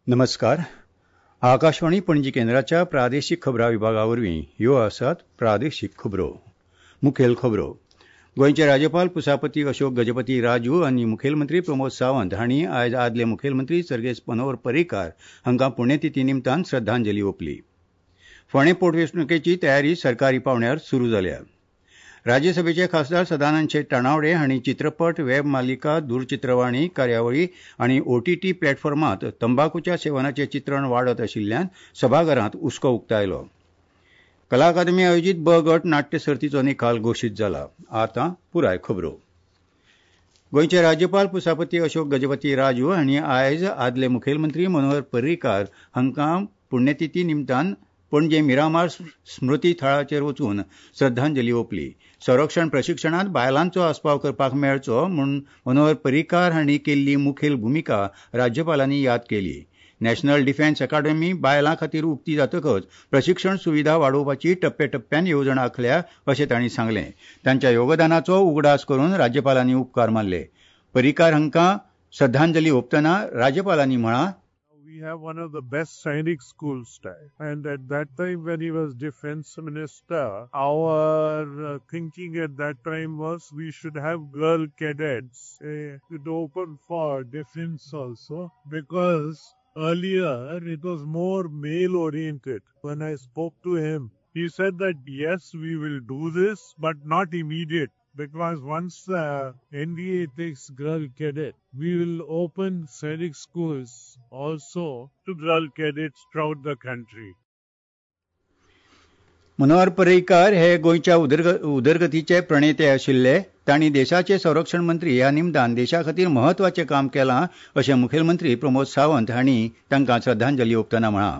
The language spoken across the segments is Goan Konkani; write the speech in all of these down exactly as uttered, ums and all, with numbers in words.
नमस्कार. आकाशवाणी पणजी केंद्राच्या प्रादेशीक खबरां विभागा वरवीं ह्यो आसात प्रादेशीक खबरो. मुखेल खबरो. गोंयचे राज्यपाल पुसापती अशोक गजपती राजू आनी मुखेलमंत्री प्रमोद सावंत हांणी आयज आदले मुखेलमंत्री सर्गेस्त मनोहर पर्रीकार हांकां पुण्यतिथी निमतान श्रद्धांजली ओंपली. फोंडें पोटवेंचणुकेची तयारी सरकारी पांवड्यार सुरू जाल्या. राज्यसभेचे खासदार सदानंद शेट तानावडे हांणी चित्रपट, वेब मालिका, दूरचित्रवाणी कार्यावळी आनी ओटीटी प्लॅटफॉर्मांत तंबाकूच्या सेवनाचें चित्रण वाडत आशिल्ल्यान सभाघरांत हुस्को उक्तायलो. कला अकादमी आयोजीत ब गट नाट्य सर्तीचो निकाल घोशीत जाला. आतां पुराय खबरो. गोंयचे राज्यपाल पुसापती अशोक गजपती राजू हांणी आयज आदले मुखेलमंत्री मनोहर पर्रीकार हांकां पुण्यतिथी निमतान पणजे मिरामार स्मृती थळाचेर वचून श्रद्धांजली ओंपली. संरक्षण प्रशिक्षणांत बायलांचो आस्पाव करपाक मेळचो म्हूण मनोहर पर्रीकार हांणी केल्ली मुखेल भुमिका राज्यपालांनी याद केली. नॅशनल डिफेन्स अकादमी बायलां खातीर उक्ती जातकच प्रशिक्षण सुविधा वाडोवपाची टप्प्याटप्प्यान येवजण आंखल्या अशें तांणी सांगलें. तांच्या योगदानाचो उगडास करून राज्यपालांनी उपकार मानले. पर्रीकार हांकां श्रद्धांजली ओंपतना राज्यपालांनी म्हळां, We have one of the best Sainik schools there. And at that time when he was defense minister, our uh, thinking at that time was we should have girl cadets uh, to open for defense also, because earlier it was more male oriented. When I spoke to him, he said that yes, we will do this, but not immediate. Because once the N D A takes girl cadet, we will open Sainik schools also to girl cadets throughout the country. Manohar Parrikar हे गोंयच्या उदरगतीचे प्रणेते आशिल्ले. तांणी देशाचे संरक्षण मंत्री ह्या निमतान देशा खातीर म्हत्वाचें काम केलां अशें मुखेलमंत्री प्रमोद सावंत हांणी तांकां श्रद्धांजली ओंपतना म्हळां.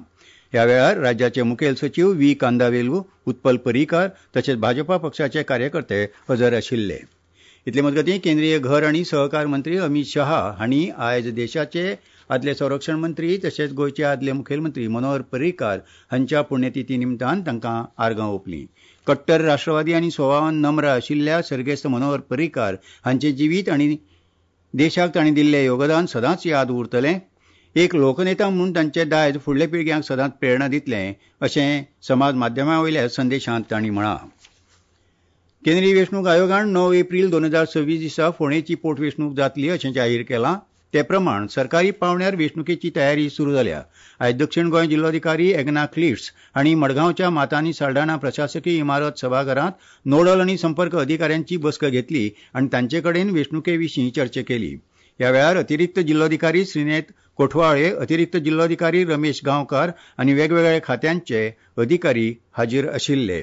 ह्या वेळार राज्याचे मुखेल सचीव व्ही कांदावेलू, उत्पल पर्रीकार तशेंच भाजपा पक्षाचे कार्यकर्ते हजर आशिल्ले. इतले मजगतीं केंद्रीय घर आनी सहकार मंत्री अमीत शहा हांणी आयज देशाचे आदले संरक्षण मंत्री तशेंच गोंयचे आदले मुखेलमंत्री मनोहर पर्रीकार हांच्या पुण्यतिथी निमतान तांकां आर्गां ओंपलीं. कट्टर राष्ट्रवादी आनी स्वभावान नम्र आशिल्ल्या सर्गेस्त मनोहर पर्रीकार हांचें जिवीत आनी देशाक तांणी दिल्लें योगदान सदांच याद उरतलें. एक लोकनेता म्हूण तांचे दायज फुडल्या पिळग्यांक सदांच प्रेरणा दितलें अशें समाज माध्यमां वयल्या संदेशांत तांणी म्हळां. केंद्रीय वेंचणूक आयोगान णव एप्रील दोन हजार सव्वीस दिसा फोंडेची पोटवेंचणूक जातली अशें जाहीर केलां. ते प्रमाण सरकारी पांवड्यार वेंचणुकेची तयारी सुरू जाल्या. आयज दक्षिण गोंय जिल्लोधिकारी एग्ना क्लिट्स हांणी मडगांवच्या मातानी साल्डाणा प्रशासकीय इमारत सभाघरांत नोडल आनी संपर्क अधिकाऱ्यांची बसका घेतली आनी तांचे कडेन वेंचणुके विशीं चर्चा केली. ह्या वेळार अतिरिक्त जिल्लोधिकारी श्रीनेत कोठवाळे, अतिरिक्त जिल्लोधिकारी रमेश गांवकार आनी वेगवेगळ्या खात्यांचे अधिकारी हाजीर आशिल्ले.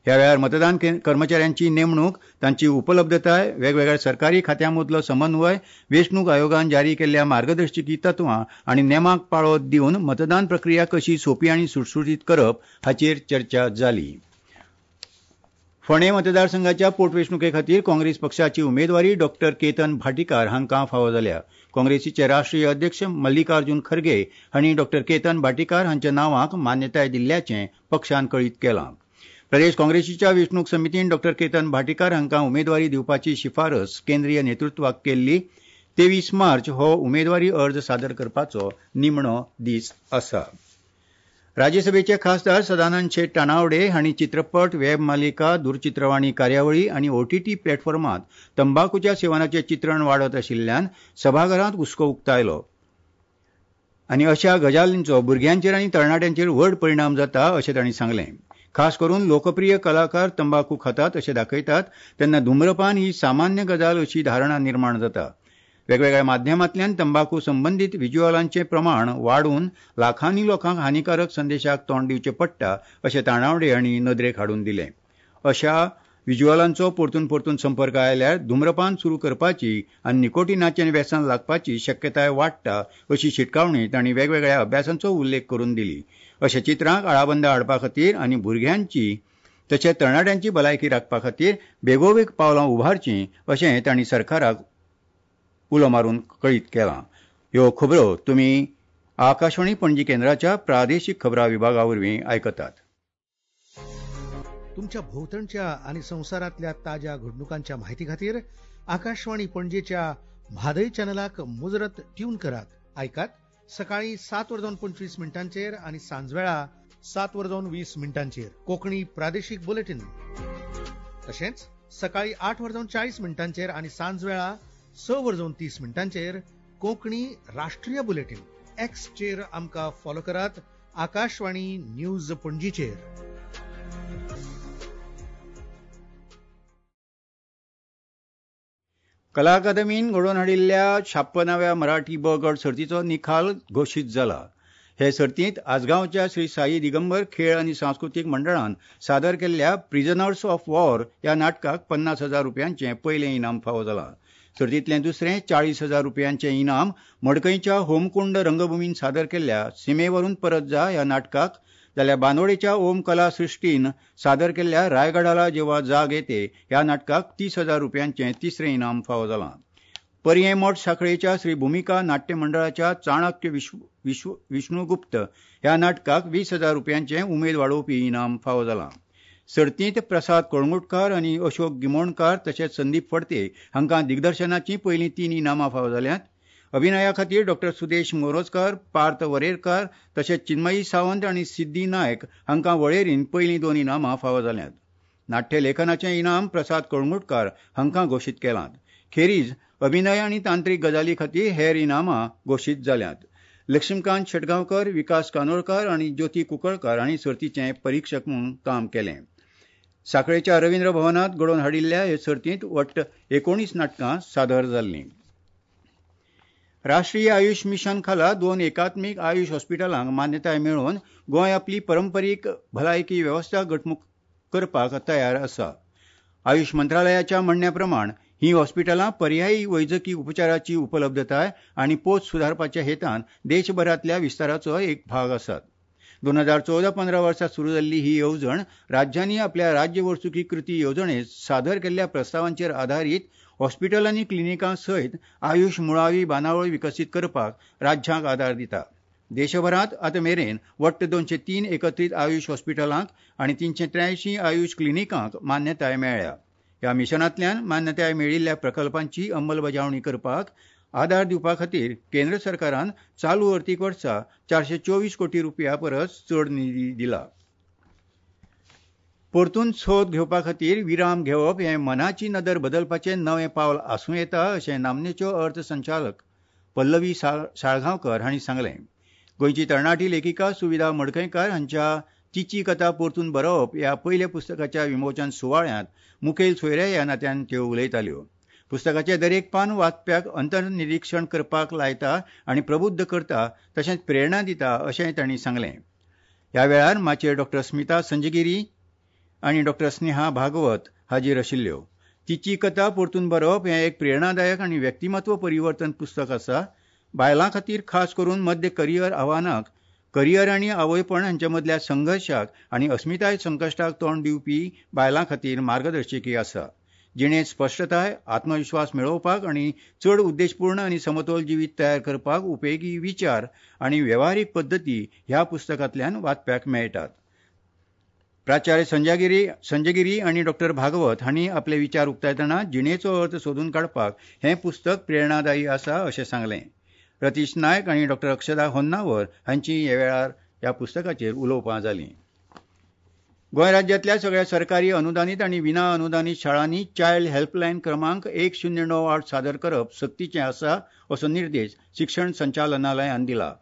ह्या वेळार मतदान कर्मचाऱ्यांची नेमणूक, तांची उपलब्धताय, वेगवेगळ्या सरकारी खात्यां मदलो समन्वय, वेंचणूक आयोगान जारी केल्ल्या मार्गदर्शकी तत्वां आनी नेमांक पाळो दिवन मतदान प्रक्रिया कशी सोंपी आनी सुटसुटीत करप हाचेर चर्चा जाली. फोंडें मतदारसंघाच्या पोटवेंचणुके खातीर काँग्रेस पक्षाची उमेदवारी डॉक्टर केतन भाटीकार हांकां फावो जाल्या. काँग्रेसीचे राष्ट्रीय अध्यक्ष मल्लिकार्जुन खरगे हांणी डॉक्टर केतन भाटीकार हांच्या नांवाक मान्यताय दिल्ल्याचें पक्षान कळीत केलां. प्रदेश काँग्रेसीच्या वेंचणूक समितीन डॉक्टर केतन भाटीकार हांकां उमेदवारी दिवपाची शिफारस केंद्रीय नेतृत्वाक केल्ली. तेवीस मार्च हो उमेदवारी अर्ज सादर करपाचो निमणो दीस आसा. राज्यसभेचे खासदार सदानंद शेट तानावडे हांणी चित्रपट, वेब मालिका, दूरचित्रवाणी कार्यावळी आनी ओटीटी प्लॅटफॉर्मांत तंबाकूच्या सेवनाचें चित्रण वाडत आशिल्ल्यान सभाघरांत हुस्को उक्तायलो आनी अशा गजालींचो भुरग्यांचेर आनी तरणाट्यांचेर व्हड परिणाम जाता अशें तांणी सांगलें. खास करून लोकप्रिय कलाकार तंबाकू खातात अशें दाखयतात तेन्ना धूम्रपान ही सामान्य गजाल अशी धारणा निर्माण जाता. वेगवेगळ्या माध्यमांतल्यान तंबाकू संबंदीत विज्युअलांचें प्रमाण वाडून लाखांनी लोकांक हानिकारक संदेशाक तोंड दिवचें पडटा अशें तानावडे हांणी नदरेक हाडून दिलें. अशा विज्युअलांचो परतून परतून संपर्क आयल्यार धूम्रपान सुरू करपाची आनी निकोटिनाचें व्यसन लागपाची शक्यताय वाडटा अशी शिटकावणी तांणी वेगवेगळ्या अभ्यासांचो उल्लेख करून दिली. अशा चित्रांक आळाबंदा हाडपा खातीर आनी भुरग्यांची तशेंच तरणाट्यांची भलायकी राखपा खातीर बेगोबेग पावलां उबारचीं अशें तांणी सरकाराक उलो मारून कळीत केलां. ह्यो खबरो तुमी आकाशवाणी पणजी केंद्राच्या प्रादेशीक खबरां विभागा वरवीं आयकतात. तुमच्या भोवतणच्या आनी संवसारांतल्या ताज्या घडणुकांच्या माहिती खातीर आकाशवाणी पणजेच्या म्हादय चॅनलाक मुजरत ट्यून करात. आयकात, सकाळी सात वर जावन पंचवीस मिनटांचेर आनी सांजवेळा सात वर जावन वीस मिनटांचेर कोंकणी प्रादेशीक बुलेटीन. तशेंच सकाळी आठ वर जावन चाळीस मिनटांचेर आनी सांजवेळा स वर जावन तीस मिनटांचेर कोंकणी राष्ट्रीय बुलेटीन. एक्सचेर आमकां फॉलो करात आकाशवाणी न्यूज पणजीचेर. कला अकादमीन घडोवन हाडिल्ल्या छाप्पनाव्या मराठी ब गट सर्तीचो निकाल घोशीत जाला. हे सर्तींत आजगांवच्या श्री साई दिगंबर खेळ आनी सांस्कृतीक मंडळान सादर केल्ल्या प्रिजनर्स ऑफ वॉर ह्या नाटकाक पन्नास हजार रुपयांचें पयलें इनाम फावो जालां. सर्तींतलें दुसरें चाळीस हजार रुपयांचें इनाम मडकयच्या होमकुंड रंगभूमीन सादर केल्ल्या सीमेवरून परत जा ह्या नाटकाक, जाल्यार बांदोडेच्या ओम कला सृश्टीन सादर केल्ल्या रायगडाला जेव्हा जाग येते ह्या नाटकाक तीस हजार रुपयांचें तिसरें इनाम फावो जालां. पर्यें मठ साखळेच्या श्री भुमिका नाट्य मंडळाच्या चाणक्य विश्व विश्व विष्णुगुप्त ह्या नाटकाक वीस हजार रुपयांचें उमेद वाडोवपी इनाम फावो जालां. सर्तींत प्रसाद कळंगुटकार आनी अशोक गिमोणकार तशेंच संदीप फडते हांकां दिग्दर्शनाचीं पयलीं तीन इनामां फावो जाल्यांत. अभिनया खातीर डॉक्टर सुदेश मोरजकार, पार्थ वरेरकार तशेंच चिन्मयी सावंत आनी सिद्धी नायक हांकां वळेरीन पयलीं दोन इनामां फावो जाल्यांत. नाट्य लेखनाचें इनाम प्रसाद कळंगुटकार हांकां घोशीत केलां. खेरीज अभिनय आनी तांत्रीक गजाली खातीर हेर इनामां घोशीत जाल्यांत. लक्ष्मीकांत शेटगांवकर, विकास कानोळकार आनी ज्योती कुंकळकार हांणी सर्तीचें परिक्षक म्हूण काम केलें. साखळेच्या रवींद्र भवनांत घडोवन हाडिल्ल्या हे सर्तींत वट्ट एकोणीस नाटकां सादर जाल्लीं. राष्ट्रीय आयुष मिशन खाला दोन एकात्मीक आयुष हॉस्पिटलांक मान्यताय मेळोवन गोंय आपली परंपरीक भलायकी वेवस्था घटमूट करपाक तयार आसा. आयुष मंत्रालयाच्या म्हणण्या प्रमाण ही हॉस्पिटलां पर्यायी वैजकी उपचाराची उपलब्धताय आनी पोत सुदारपाच्या हेतान देशभरांतल्या विस्ताराचो एक भाग आसात. दोन हजार चवदा पंदरा वर्सा सुरू जाल्ली ही येवजण राज्यांनी आपल्या राज्य वर्सुकी कृती येवजणेत सादर केल्ल्या प्रस्तावांचेर आदारीत हॉस्पिटल आनी क्लिनिकां सयत आयुष मुळावी बांदावळ विकसीत करपाक राज्यांक आदार दिता. देशभरांत आतां मेरेन वट्ट दोनशे तीन एकत्रीत आयुष हॉस्पिटलांक आनी तिनशे त्र्यांयशीं आयुष क्लिनिकांक मान्यताय मेळ्ळ्या. ह्या मिशनांतल्यान मान्यताय मेळिल्ल्या प्रकल्पांची अंमलबजावणी करपाक आदार दिवपा खातीर केंद्र सरकारान चालू अर्थीक वर्सा चारशे चोवीस कोटी रुपया परस चड निधी दिला. परतून सोद घेवपा खातीर विराम घेवप हें मनाची नदर बदलपाचें नवें पावल आसूं येता अशें नामनेच्यो अर्थ संचालक पल्लवी साळगांवकर हांणी सांगलें. गोंयची तरणाटी लेखिका सुविधा मडकयकार हांच्या तिची कथा परतून बरोवप ह्या पयल्या पुस्तकाच्या विमोचन सुवाळ्यांत मुखेल सोयऱ्या ह्या नात्यान त्यो उलयताल्यो. पुस्तकाचें दरेक पान वाचप्याक अंतर्निरीक्षण करपाक लायता आनी प्रबुद्ध करता तशेंच प्रेरणा दिता अशेंय तांणी सांगलें. ह्या वेळार माचयेर डॉक्टर स्मिता संजगिरी आनी डॉक्टर स्नेहा भागवत हाजीर आशिल्ल्यो. तिची कथा परतून बरोवप हें एक प्रेरणादायक आनी व्यक्तिमत्व परिवर्तन पुस्तक आसा. बायलां खातीर खास करून मध्य करियर आव्हानाक, करियर आनी आवयपण हांचे मदल्या संघर्शाक आनी अस्मिताय संकश्टाक तोंड दिवपी बायलां खातीर मार्गदर्शकी आसा. जिणेंत स्पश्टताय, आत्मविश्वास मेळोवपाक आनी चड उद्देशपूर्ण आनी समतोल जिवीत तयार करपाक उपेगी विचार आनी वेव्हारीक पद्दती ह्या पुस्तकांतल्यान वाचप्याक मेळटात. प्राचार्य संजयगिरी संजयगिरी आनी डॉक्टर भागवत हांणी आपले विचार उक्तायतना जिणेचो अर्थ सोदून काडपाक हें पुस्तक प्रेरणादायी आसा अशें सांगलें. रतीश नायक आनी डॉक्टर अक्षदा होन्नावर हांची ह्या वेळार ह्या पुस्तकाचेर उलोवपां जालीं. गोंय राज्यांतल्या सगळ्या सरकारी अनुदानीत आनी विना अनुदानीत शाळांनी चायल्ड हेल्पलायन क्रमांक एक शून्य णव आठ सादर करप सक्तीचें आसा असो निर्देश शिक्षण संचालनालयान दिला.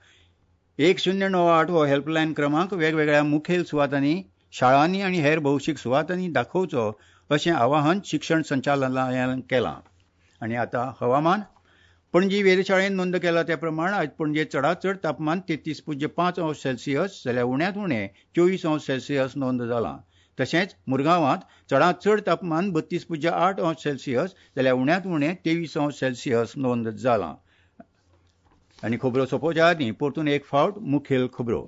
एक शून्य णव आठ हो हेल्पलायन क्रमांक वेगवेगळ्या मुखेल सुवातांनी, शाळांनी आनी हेर भौशीक सुवातांनी दाखोवचो अशें आवाहन शिक्षण संचालनालयान केलां. आनी आतां हवामान. पणजी वेधशाळेन नोंद केला त्या प्रमाण आयज पणजे चडांत चड तापमान तेत्तीस पुज्य पांच अंश सेल्सियस जाल्यार उण्यांत उणें चोवीस अंश सेल्सियस नोंद जालां. तशेंच मुरगांवांत चडांत चड तापमान बत्तीस पुज्य आठ अंश सेल्सियस जाल्यार उण्यांत उणें तेवीस अंश सेल्सियस नोंद जालां. आनी खबरो सोंपोवच्या आदीं परतून एक फावट मुखेल खबरो.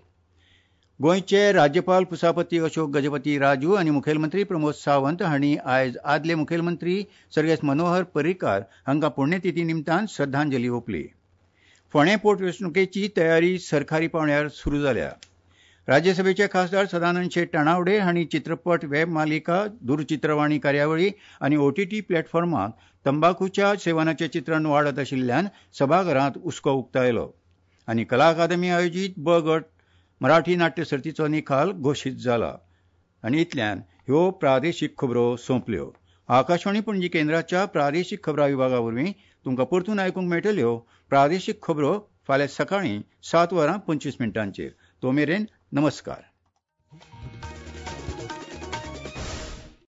गोंयचे राज्यपाल पुसापती अशोक गजपती राजू आनी मुखेलमंत्री प्रमोद सावंत हांणी आयज आदले मुखेलमंत्री सर्गेस्त मनोहर पर्रीकार हांकां पुण्यतिथी निमतान श्रद्धांजली ओंपली. फोंडें पोटवेंचणुकेची तयारी सरकारी पांवड्यार सुरू जाल्या. राज्यसभेचे खासदार सदानंद शेट ताणावडे हांणी चित्रपट, वेब मालिका, दूरचित्रवाणी कार्यावळी आनी ओटीटी प्लॅटफॉर्मांत तंबाखूच्या सेवनाचें चित्रण वाडत आशिल्ल्यान सभाघरांत हुस्को उक्तायलो. आनी कला अकादमी आयोजीत ब गट मराठी नाट्य सर्तीचो निकाल घोशीत जाला. आनी इतल्यान ह्यो प्रादेशीक खबरो सोंपल्यो. आकाशवाणी पणजी केंद्राच्या प्रादेशीक खबरां विभागा वरवीं तुमकां परतून आयकूंक मेळटल्यो प्रादेशीक खबरो फाल्यां सकाळीं सात वरां पंचवीस मिनटांचेर. तो मेरेन नमस्कार.